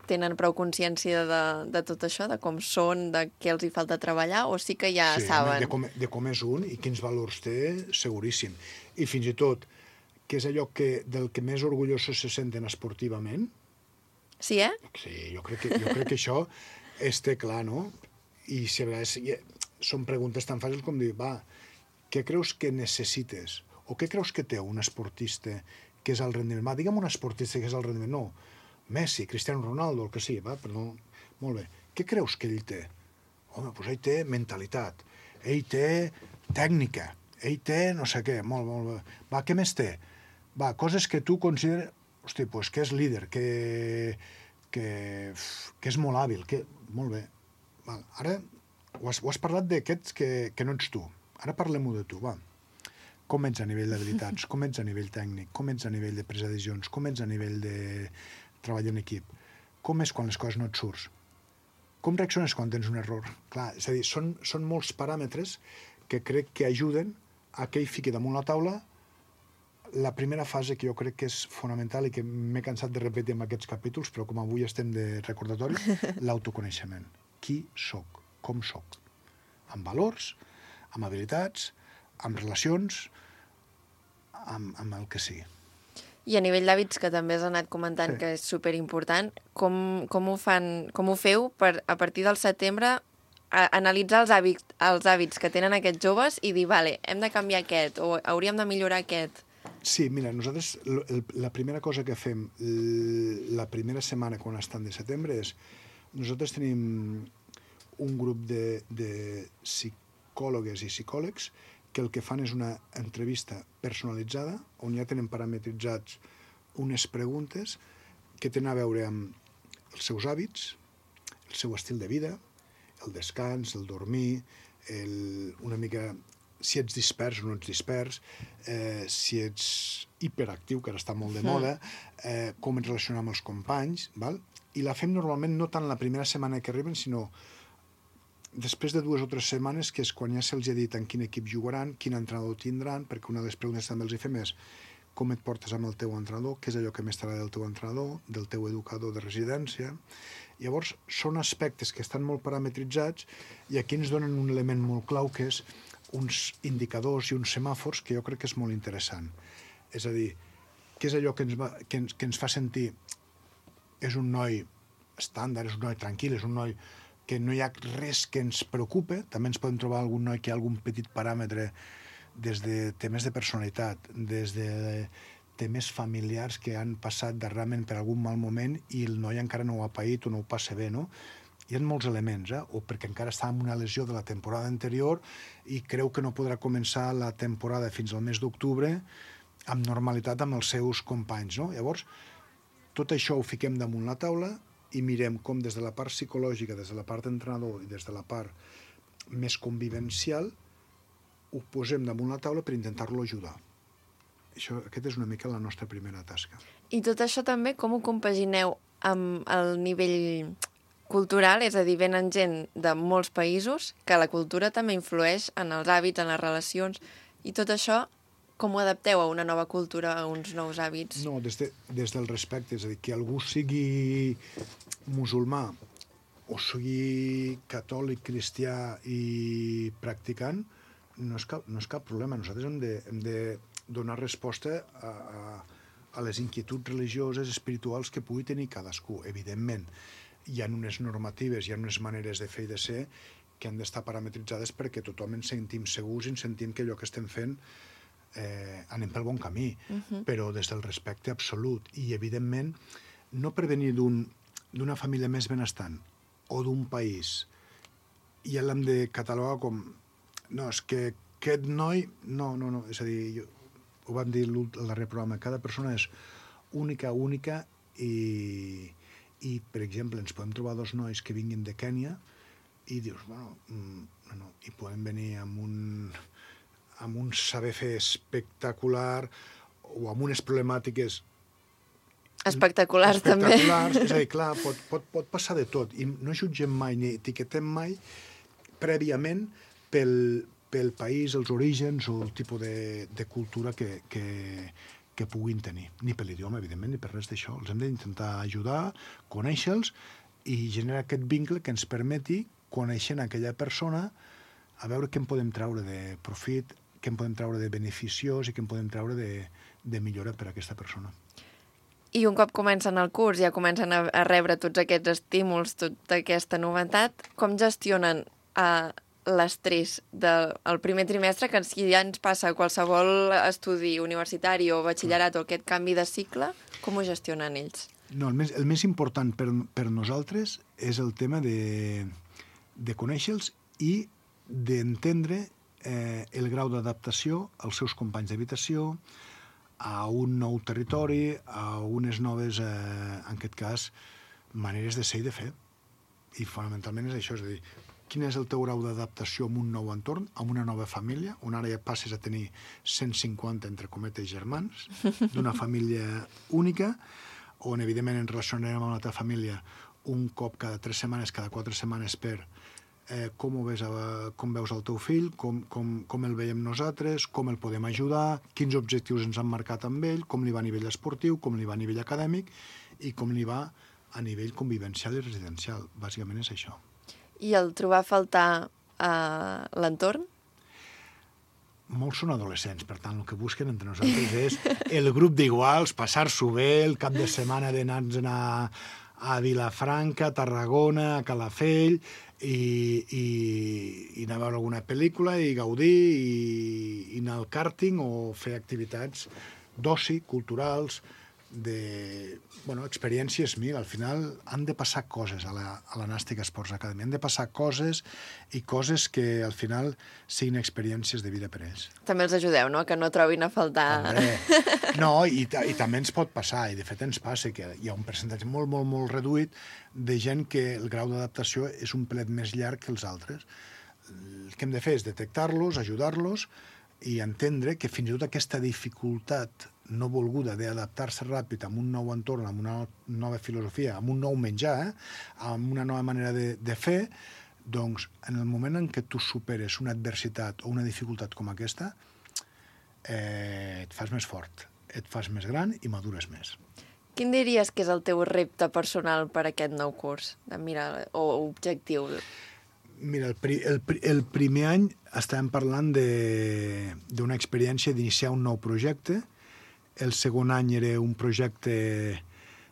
tenen prou consciència de, de tot això, de com són, de què els hi falta treballar, o sí que ja sí, saben? De com, de com és un i quins valors té, seguríssim. I fins i tot, que és allò que, del que més orgullosos se senten esportivament. Sí, eh? Sí, jo crec que, jo crec que això es té clar, no? I si a vegades són preguntes tan fàcils com dir, va, què creus que necessites? O què creus que té un esportista que és el rendiment? Va, digue'm un esportista que és el rendiment. No, Messi, Cristiano Ronaldo, el que sigui, va, però no... Molt bé. Què creus que ell té? Home, doncs ell té mentalitat, ell té tècnica, ell té no sé què, molt, molt bé. Va, què més té? Va, coses que tu consideres... Hosti, doncs que és líder, que, que, que és molt hàbil, que... Molt bé. Val. Ara ho has, ho has parlat d'aquests que, que no ets tu. Ara parlem-ho de tu, va. Com ets a nivell d'habilitats, com ets a nivell tècnic, com ets a nivell de presa de decisions, com ets a nivell de... treball en equip. Com és quan les coses no et surts? Com reacciones quan tens un error? Clar, és a dir, són, són molts paràmetres que crec que ajuden a que ell fiqui damunt la taula la primera fase que jo crec que és fonamental i que m'he cansat de repetir en aquests capítols, però com avui estem de recordatori, l'autoconeixement. Qui soc? Com soc? Amb valors, amb habilitats, amb relacions, amb, amb el que sigui. I a nivell d'hàbits, que també has anat comentant sí. que és superimportant, com, com, ho fan, com ho feu per, a partir del setembre, a, analitzar els hàbits, els hàbits que tenen aquests joves i dir, vale, hem de canviar aquest, o hauríem de millorar aquest? Sí, mira, nosaltres el, la primera cosa que fem la primera setmana quan estan de setembre és, nosaltres tenim un grup de, de psicòlogues i psicòlegs que el que fan és una entrevista personalitzada, on ja tenen parametritzats unes preguntes que tenen a veure amb els seus hàbits, el seu estil de vida, el descans, el dormir, el, una mica si ets dispers o no ets dispers, eh, si ets hiperactiu, que ara està molt de moda, eh, com et relacionar amb els companys, val? I la fem normalment no tant la primera setmana que arriben, sinó després de dues o tres setmanes, que és quan ja se'ls ha dit en quin equip jugaran, quin entrenador tindran, perquè una de les preguntes també els hi fem és com et portes amb el teu entrenador, què és allò que més t'agrada del teu entrenador, del teu educador de residència. Llavors, són aspectes que estan molt parametritzats i aquí ens donen un element molt clau, que és uns indicadors i uns semàfors que jo crec que és molt interessant. És a dir, què és allò que ens, va, que ens, que ens fa sentir és un noi estàndard, és un noi tranquil, és un noi que no hi ha res que ens preocupe. També ens podem trobar algun noi que hi ha algun petit paràmetre des de temes de personalitat, des de temes familiars que han passat darrerament per algun mal moment i el noi encara no ho ha paït o no ho passa bé, no? Hi ha molts elements, eh? O perquè encara està amb una lesió de la temporada anterior i creu que no podrà començar la temporada fins al mes d'octubre amb normalitat amb els seus companys, no? Llavors, tot això ho fiquem damunt la taula i mirem com des de la part psicològica, des de la part d'entrenador i des de la part més convivencial ho posem damunt la taula per intentar-lo ajudar. Això, aquest és una mica la nostra primera tasca. I tot això també com ho compagineu amb el nivell cultural? És a dir, venen gent de molts països que la cultura també influeix en els hàbits, en les relacions, i tot això com ho adapteu a una nova cultura, a uns nous hàbits? No, des, de, des del respecte, és a dir, que algú sigui musulmà o sigui catòlic, cristià i practicant, no és cap, no és cap problema. Nosaltres hem de, hem de donar resposta a, a, a les inquietuds religioses, espirituals que pugui tenir cadascú. Evidentment, hi ha unes normatives, hi ha unes maneres de fer i de ser que han d'estar parametritzades perquè tothom ens sentim segurs i ens sentim que allò que estem fent eh, anem pel bon camí, uh-huh. Però des del respecte absolut. I, evidentment, no per venir d'un, d'una família més benestant o d'un país i l'hem de catalogar com no, és que aquest noi... No, no, no, és a dir, jo, ho vam dir al darrer programa, cada persona és única, única i, i, per exemple, ens podem trobar dos nois que vinguin de Kènia i dius, bueno, no, no, i podem venir amb un, amb un saber fer espectacular o amb unes problemàtiques espectaculars, també. Espectaculars, és a dir, clar, pot, pot, pot passar de tot i no jutgem mai ni etiquetem mai prèviament pel, pel país, els orígens o el tipus de, de cultura que, que, que puguin tenir. Ni per l'idioma, evidentment, ni per res d'això. Els hem d'intentar ajudar, conèixer-los i generar aquest vincle que ens permeti, coneixent aquella persona, a veure què en podem treure de profit, què en podem treure de beneficiós i què en podem treure de, de millora per a aquesta persona. I un cop comencen el curs, ja comencen a, a rebre tots aquests estímuls, tota aquesta novetat, com gestionen eh, l'estrès del primer trimestre, que si ja ens passa qualsevol estudi universitari o batxillerat o aquest canvi de cicle, com ho gestionen ells? No, el més, el més important per, per nosaltres és el tema de, de conèixer-los i d'entendre eh, el grau d'adaptació als seus companys d'habitació, a un nou territori, a unes noves, eh, en aquest cas, maneres de ser i de fer. I fonamentalment és això, és a dir, quin és el teu grau d'adaptació a un nou entorn, a una nova família, on ara ja passes a tenir cent cinquanta, entre cometes, germans, d'una família única, on evidentment ens relacionarem amb la teva família un cop cada tres setmanes, cada quatre setmanes per eh, com, ho ves a, com veus el teu fill, com, com, com el veiem nosaltres, com el podem ajudar, quins objectius ens han marcat amb ell, com li va a nivell esportiu, com li va a nivell acadèmic i com li va a nivell convivencial i residencial. Bàsicament és això. I el trobar a faltar uh, l'entorn? Molts són adolescents, per tant, el que busquen entre nosaltres és el grup d'iguals, passar-s'ho bé, el cap de setmana d'anar a, a Vilafranca, a Tarragona, a Calafell, i, i, i anar a veure alguna pel·lícula i gaudir, i, i anar al càrting o fer activitats d'oci, culturals, de, bueno, experiències mil. Al final han de passar coses a la, a la Nàstic Sports Academy. Han de passar coses i coses que al final siguin experiències de vida per ells. També els ajudeu, no?, que no trobin a faltar... Hombre, no, i, i també ens pot passar, i de fet ens passa que hi ha un percentatge molt, molt, molt reduït de gent que el grau d'adaptació és un pelet més llarg que els altres. El que hem de fer és detectar-los, ajudar-los i entendre que fins i tot aquesta dificultat no volguda d'adaptar-se ràpid a un nou entorn, a una nova filosofia, a un nou menjar, eh? a una nova manera de, de fer, doncs en el moment en què tu superes una adversitat o una dificultat com aquesta, eh, et fas més fort, et fas més gran i madures més. Quin diries que és el teu repte personal per a aquest nou curs? Mira, o objectiu? Mira, el, pri, el, el primer any estàvem parlant d'una experiència d'iniciar un nou projecte. el segon any era un projecte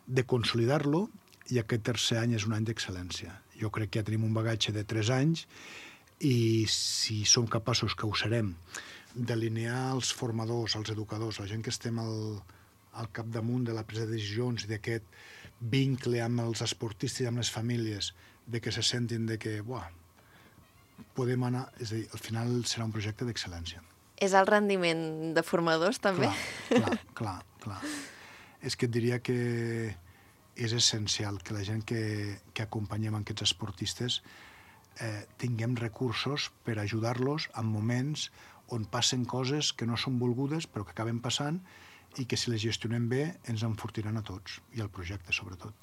de consolidar-lo i aquest tercer any és un any d'excel·lència. Jo crec que ja tenim un bagatge de tres anys i si som capaços, que ho serem, d'alinear els formadors, els educadors, la gent que estem al, al capdamunt de la presa de decisions i d'aquest vincle amb els esportistes i amb les famílies, de que se sentin de que, buah, podem anar... És a dir, al final serà un projecte d'excel·lència. És el rendiment de formadors, també? Clar, clar, clar, clar. És que et diria que és essencial que la gent que, que acompanyem aquests esportistes eh, tinguem recursos per ajudar-los en moments on passen coses que no són volgudes però que acaben passant i que si les gestionem bé ens enfortiran a tots i al projecte sobretot.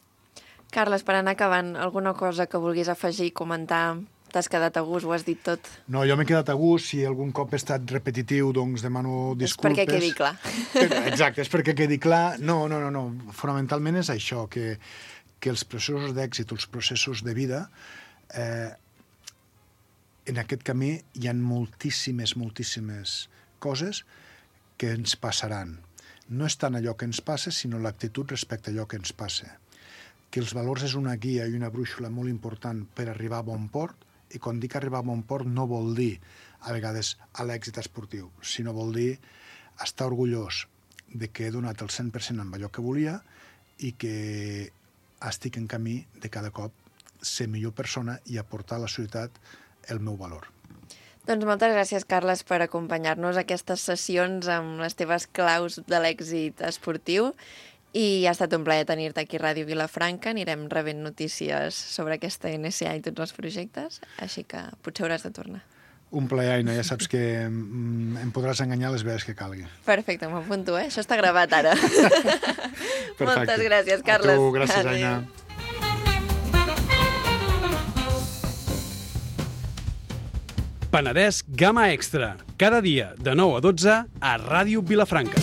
Carles, per anar acabant, alguna cosa que vulguis afegir, comentar? T'has quedat a gust, ho has dit tot. No, jo m'he quedat a gust. Si algun cop he estat repetitiu, doncs demano disculpes. És perquè quedi clar. Exacte, és perquè quedi clar. No, no, no, no. Fonamentalment és això, que, que els processos d'èxit, els processos de vida, eh, en aquest camí hi ha moltíssimes, moltíssimes coses que ens passaran. No és tant allò que ens passa, sinó l'actitud respecte a allò que ens passa. Que els valors és una guia i una brúixola molt important per arribar a bon port, i quan dic arribar a bon port no vol dir, a vegades, a l'èxit esportiu, sinó vol dir estar orgullós de que he donat el cent per cent amb allò que volia i que estic en camí de cada cop ser millor persona i aportar a la societat el meu valor. Doncs moltes gràcies, Carles, per acompanyar-nos a aquestes sessions amb les teves claus de l'èxit esportiu. I ha estat un plaer tenir-te aquí a Ràdio Vilafranca. Anirem rebent notícies sobre aquesta N S A i tots els projectes, així que potser hauràs de tornar. Un plaer, Aina. Ja saps que em podràs enganyar les vegades que calgui. Perfecte, m'apunto, eh? Això està gravat ara. Moltes gràcies, Carles. A tu, gràcies, Aina. Penedès Gamma Extra. Cada dia de nou a dotze a Ràdio Vilafranca.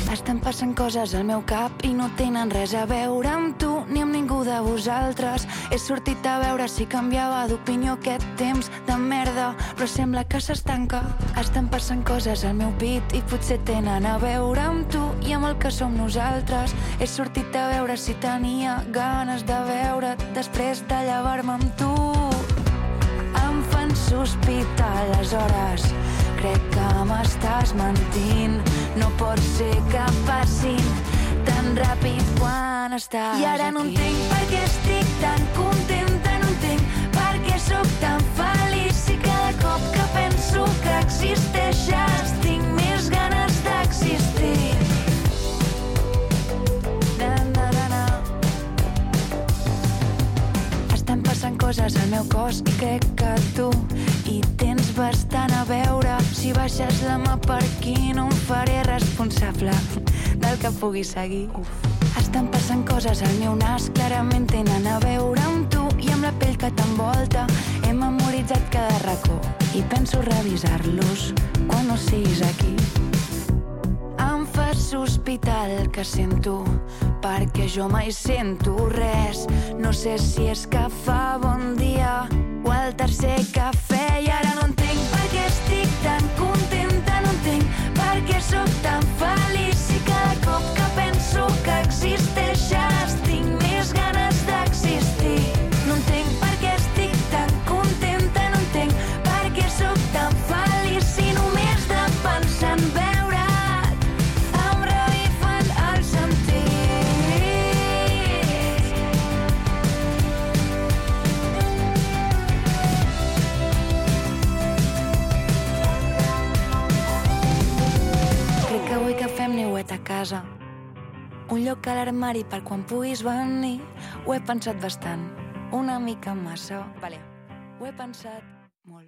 Estan passant coses al meu cap i no tenen res a veure amb tu ni amb ningú de vosaltres. He sortit a veure si canviava d'opinió aquest temps de merda, però sembla que s'estanca. Estan passant coses al meu pit i potser tenen a veure amb tu i amb el que som nosaltres. He sortit a veure si tenia ganes de veure't després de llevar-me amb tu. Em fan sospitar les hores, crec que m'estàs mentint. No pot ser que passin tan ràpid quan estàs aquí. I ara no entenc per què estic tan contenta, no entenc per què sóc tan feliç. I cada cop que penso que existeixes tinc més ganes d'existir. Na, na, na, na. Estan passant coses al meu cos i crec que tu hi tens bastant a veure. Si baixes la mà per aquí no em faré responsable del que pugui seguir. Estan passant coses al meu nas, clarament tenen a veure amb tu i amb la pell que t'envolta. He memoritzat cada racó i penso revisar-los quan no siguis aquí. Em fa sospitar el que sento, perquè jo mai sento res. No sé si és que fa bon dia o el tercer cafè. I ara no entenc per què estic tan contenta, no entenc per què sóc tan feliç. I cada cop que penso que existeixes tinc més ganes d'existir. No entenc per què estic tan contenta, no entenc per què sóc tan feliç. I només de pensar en veure't em revifen els sentits. Crec que vull que fem niuet a casa, un lloc a l'armari per quan puguis venir. Ho he pensat bastant, una mica massa. Vale, ho he pensat